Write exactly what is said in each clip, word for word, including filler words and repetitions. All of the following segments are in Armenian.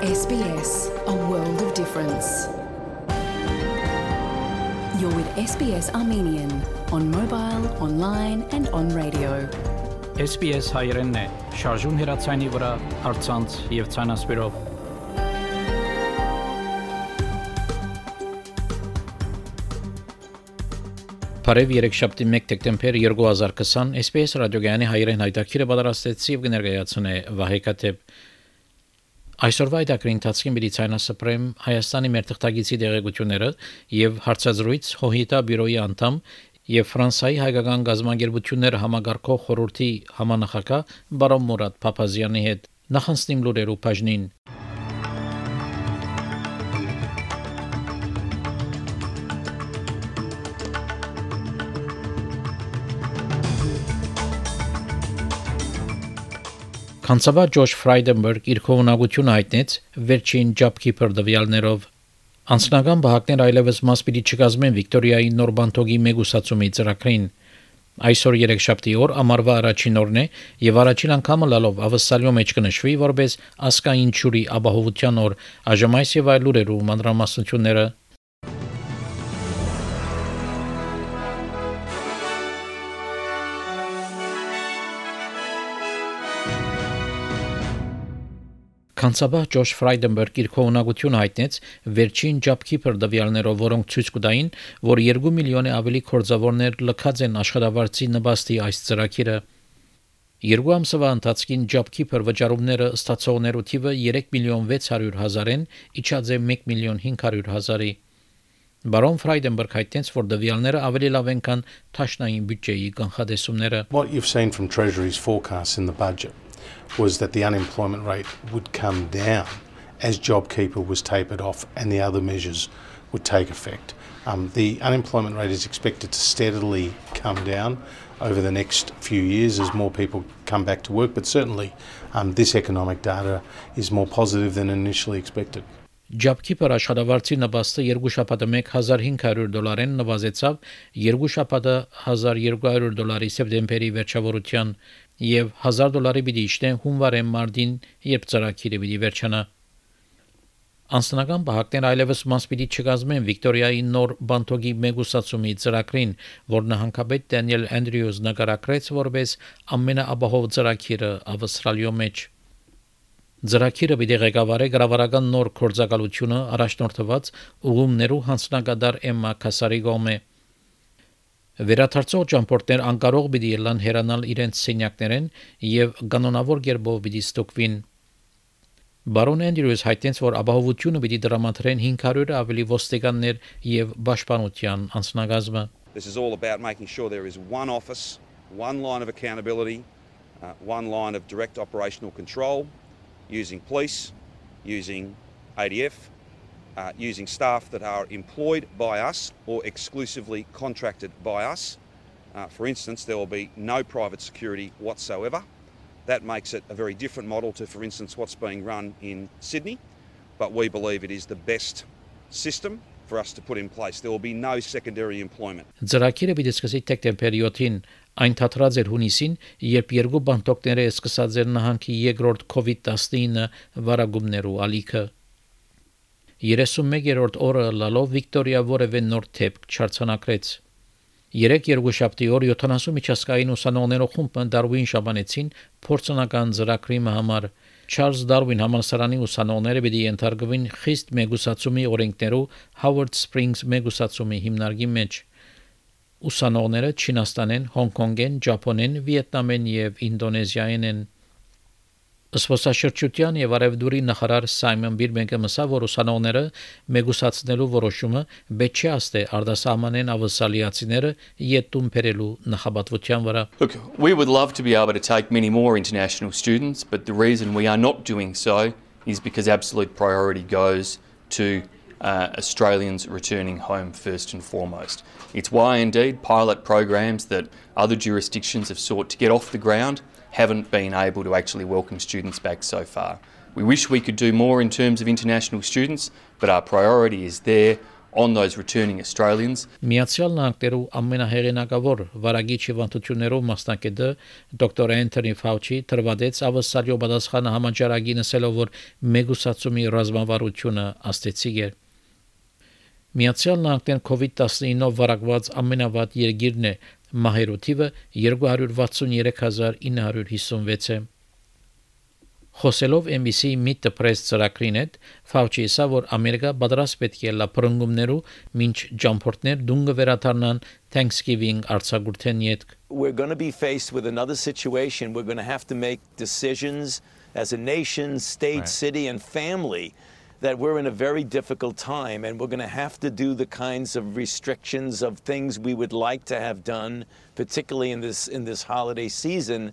S B S, a world of difference. You're with S B S Armenian on mobile, online and on radio. S B S հայերենն է, շարժուն հեռացանի վրա, առցանց եւ ցանասպիրով։ Բարև երեքշաբթի մեկ դեկտեմբեր երկու հազար քսան S B S ռադիոգյանի հայերեն հայտակիրը պատրաստեցի եւ կներկայացնե Վահե Կաթեփ։ Այսօրվա այդակրի ընթացքին մի ցանասպրեմ Հայաստանի մեր թղթագիտի դեղեցությունները եւ հարցազրույց Հոհիտա բյուրոյի անդամ եւ Ֆրանսիայի հայկական գազམ་ագերբություններ համագարկող խորհրդի համանախագահ բարոն Մուրադ Փափազյանի հետ նախանցնիմ լուրերու բաժնին։ Քանցավա Ջոշ Ֆրայդենբերգ իր քողունակությունը հայտնեց վերջին JobKeeper դվյալներով։ Անձնական բահակներ այլևս մաս պիտի չկազմեն Վիկտորիայի նոր բանթոգի մեգուսացումի ծրագրին։ Այսօր երեքշաբթի օր ամառվա առաջին օրն է եւ առաջին անգամը լալով ավսալյո մեջ կնշվի որպես ասկային ճուրի ապահովության օր։ Այժմ այս եւ այլ լուրերու մանրամասնությունները։ Քանցաբահ Ջոշ Ֆրայդենբերգ իր քողունակությունը հայտնեց վերջին JobKeeper դվյալներով, որոնք ցույց կտային, որ երկու միլիոնի ավելի կորձավորներ լքած են աշխատավարձի նպաստի այս ծրագիրը։ Երկու ամսվա ընթացքին JobKeeper վճարումները ստացողներու թիվը երեք միլիոն վեց հարյուր հազար են, իջած է մեկ միլիոն հինգ հարյուր հազարի։ Բարոն Ֆրայդենբերգ հայտնեց, որ դվյալները ավելի լավ են, քան թաշնային բյուջեի կանխատեսումները։ What you've seen from Treasury's forecasts in the budget was that the unemployment rate would come down as JobKeeper was tapered off and the other measures would take effect. Um, the unemployment rate is expected to steadily come down over the next few years as more people come back to work, but certainly um, this economic data is more positive than initially expected. JobKeeper աշխատավարձի նպաստը երկու շաբաթը մեկ հազար հինգ հարյուր դոլարեն նվազեցավ երկու շաբաթը հազար երկու հարյուր դոլարի սեպտեմբերի վերջավորության եւ հազար դոլարի պիտի իջնեն հունվարի մարտին, երբ ծրագիրը պիտի վերջանա։ Անձնական բահակներ այլևս մաս պիտի չկազմեն Վիկտորիայի նոր բանթոգի մեգուսացումի ծրագրին, որ նահանգապետ Դենիել Անդրյուզ նկարագրեց որպես ամենաապահով ծրագիրը Ավստրալիո մեջ։ Ծրագիրը պիտի ղեկավարի գրավարական նոր կորձակալությունը առաջնորդված ուղումներու հանձնագետար Էմմա Քասարի գոմե։ Վերաթարցող ճամփորդներ անկարող պիտի ելան հեռանալ իրենց սենյակներեն եւ կանոնավոր կերպով պիտի ստուգվին։ Բարոն Անդրյուս հայտնեց, որ ապահովությունը պիտի դրամատրեն հինգ հարյուր ավելի ոստիկաններ եւ պաշտպանության անձնագազմը։ This is all about making sure there is one office, one line of accountability, uh, one line of direct operational control, using police, using A D F, uh, using staff that are employed by us or exclusively contracted by us. Uh, for instance, there will be no private security whatsoever. That makes it a very different model to, for instance, what's being run in Sydney, but we believe it is the best system for us to put in place. There will be no secondary employment. Ծրագիրը պիտի սկսի դեկտեմբերի յոթին, այն թատրած էր հունիսին, երբ երկու բանտոկները սկսած էր նահանգի երկրորդ COVID տասնինը վարագումներու ալիքը։ երեսունմեկերորդ օրը լալով Վիկտորիա որևէ նոր թեփք չարցանակրեց։ Երեք երկուշաբթի օր յոթանասուն միջազգային ուսանողներու խումբը Դարվին շաբանեցին փորձնական ծրագրի համար։ Charles Darwin համալսարանի ուսանողները պիտի ենթարկվին խիստ մեգուսացումի օրենքներու Howard Springs մեգուսացումի հիմնարկի մեջ։ Ուսանողները Չինաստանեն, Հոնկոնգեն, Ճապոնեն, Վիետնամեն եւ Ինդոնեզիայեն են։ Սփոսաշրջության եւ արևդուրի նախարար Սայմոն Բիրբենկը մսա, որ ուսանողները մեգուսացնելու որոշումը բեչի աստե արդասահմանեն ավսալիացիները յետում բերելու նախաբատվության վրա։ Look, we would love to be able to take many more international students, but the reason we are not doing so is because absolute priority goes to uh, Australians returning home first and foremost. It's why indeed pilot programs that other jurisdictions have sought to get off the ground haven't been able to actually welcome students back so far. We wish we could do more in terms of international students, but our priority is there on those returning Australians. Միացյալ Նահանգներու ամենահեղինակավոր վարագիչ հիվանդություններով մասնակետը դոկտոր Անթոնի Ֆաուչի թրվադեց ավսալյո պատասխանը համաճարակի նսելով, որ մեգուսացումի ռազմավարությունը աստեցիկ է։ Միացյալ Նահանգներն COVID nineteen-ով վարակված ամենավատ երկիրն է, մահերու թիվը two hundred sixty-three thousand nine hundred fifty-six է։ Խոսելով N B C Meet the Press ծրագրին հետ, Ֆաուչի ասա, որ Ամերիկա պատրաստ պետք է լա փրկումներու մինչ ջամփորդներ դունգը վերադառնան Thanksgiving արձակուրդեն յետք։ We're going to be faced with another situation. We're going to have to make decisions as a nation, state, right. city, and family that we're in a very difficult time, and we're going to have to do the kinds of restrictions of things we would like to have done, particularly in this in this holiday season.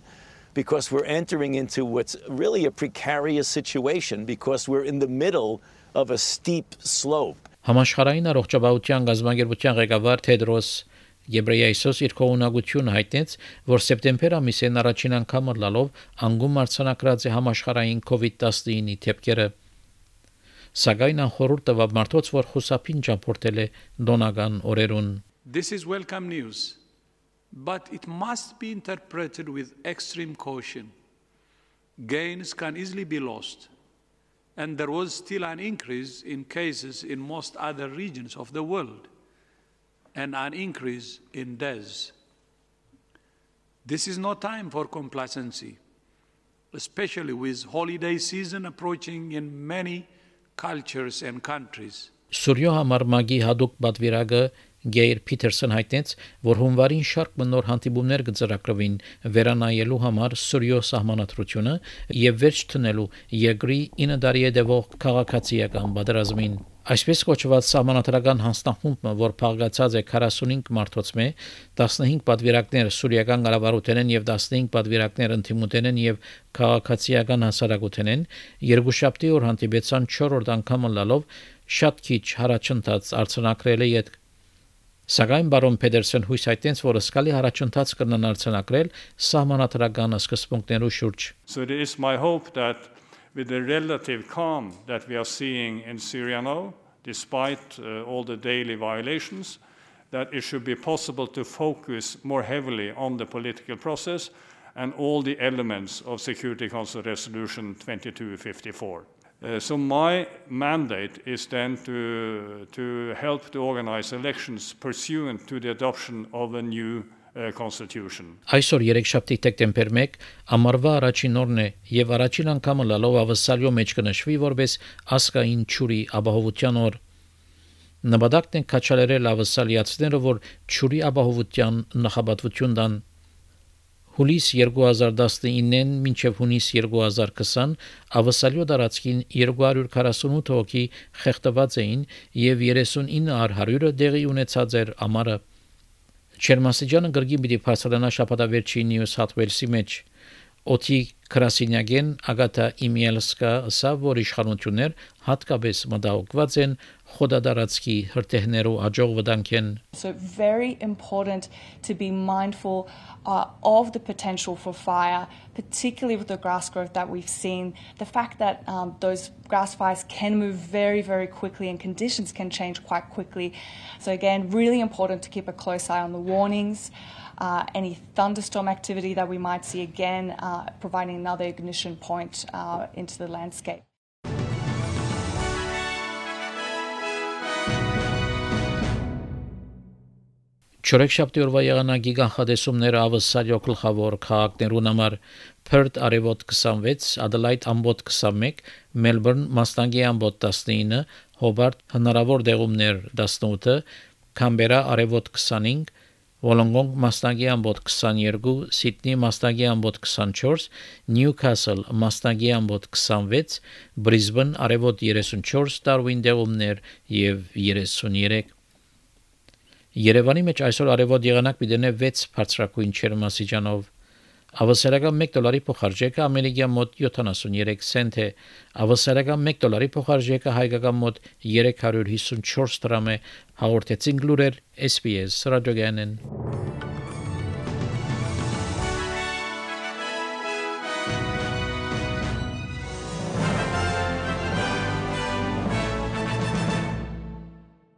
Because we're entering into what's really a precarious situation because we're in the middle of a steep slope. Համաշխարհային առողջապահության գազագերբության ղեկավար Թեդրոս Գեբրեյեսոս իր կողմնակությունը հայտնեց, որ սեպտեմբեր ամիսին առաջին անգամ լալով անգում արձանագրած է համաշխարհային COVID nineteen-ի թեփքերը։ Սակայն անխորհուրդ տվավ մարդոց, որ խուսափին ճամփորդել է դոնական օրերուն։ This is welcome news. But it must be interpreted with extreme caution. Gains can easily be lost, and there was still an increase in cases in most other regions of the world, and an increase in deaths. This is no time for complacency, especially with holiday season approaching in many cultures and countries. Սուրյո համար մագի հadouk պատվիրակը Գեյր Փիթերսոն հայտնեց, որ հունվարին շարք մնոր հանդիպումներ կձեռագրվին վերանայելու համար Սուրյո սահմանադրությունը եւ վերջ տնելու երկրի ինը տարի հետևող քաղաքացիական պատերազմին։ Այսպես կոչված սահմանադրական հանձնախումբը, որ փաղկացած է forty-five մարդոց մե, fifteen պատվիրակներ սուրիական կառավարութենեն եւ fifteen պատվիրակներ ընդդիմութենեն եւ քաղաքացիական հասարակութենեն, երկուշաբթի օր հանդիպեցան fourth անգամ լալով շատ քիչ հարաճընթաց արձանագրել է յետ։ Սակայն բարոն Փեդերսոն հույս հայտնեց, որ սկալի հարաճընթաց կնան արձանագրել սահմանադրական սկզբունքներու շուրջ։ So it is my hope that with the relative calm that we are seeing in Syria now, despite uh, all the daily violations, that it should be possible to focus more heavily on the political process and all the elements of Security Council Resolution twenty-two fifty-four. Uh, so my mandate is then to, to help to organize elections pursuant to the adoption of a new uh, constitution. Այսօր երեքշաբթի դեկտեմբեր one ամառվա առաջին օրն է եւ առաջին անգամ լալով ավսալյո մեջ կնշվի որպես ասկային ճուրի ապահովության օր։ Նպատակն է քաչալերել ավսալիացիները, որ ճուրի ապահովության նախապատվություն տան։ Հուլիս twenty nineteen-ին մինչև հունիս twenty twenty ավսալյո դարածքին two hundred forty-eight հոգի խեղդված էին եւ thirty-nine առ one hundred դեղի ունեցած էր ամառը։ Չերմասիջանը գրգի պիտի փաստանա շաբաթավերջի Նյու Սաթ Ուելսի մեջ։ Օթի Կրասինյագեն Ագատա Իմիելսկա ասա, որ իշխանություններ հատկապես մտահոգված են խոդադարածքի հրթիռներու աջող վտանգեն։ So very important to be mindful uh, of the potential for fire, particularly with the grass growth that we've seen. The fact that um, those grass fires can move very, very quickly and conditions can change quite quickly. So again, really important to keep a close eye on the warnings. Uh, any thunderstorm activity that we might see again, uh, providing another ignition point uh, into the landscape. Չորեքշաբթի օրվա եղանակի կանխատեսումները ավսալյո գլխավոր քաղաքներուն համար Perth արևոտ twenty-six, Adelaide ամբոտ twenty-one, Melbourne մասնագի ամբոտ nineteen, Hobart հնարավոր դեղումներ eighteen, Canberra արևոտ twenty-five, Wollongong մասնագի ամբոտ twenty-two, Sydney մասնագի ամբոտ twenty-four, Newcastle մասնագի ամբոտ twenty-six, Brisbane արևոտ thirty-four, Darwin դեղումներ եւ thirty-three։ Երևանի մեջ այսօր արևոտ եղանակ պիտենե six բարձրակույն ջերմաստիճանով։ Ավսալական one դոլարի փոխարժեքը ամերիկյան մոտ seventy-three سنت է։ Ավսալական one դոլարի փոխարժեքը հայկական մոտ three hundred fifty-four դրամ է։ Հաղորդեցին լուրեր S B S ռադիոգյանեն։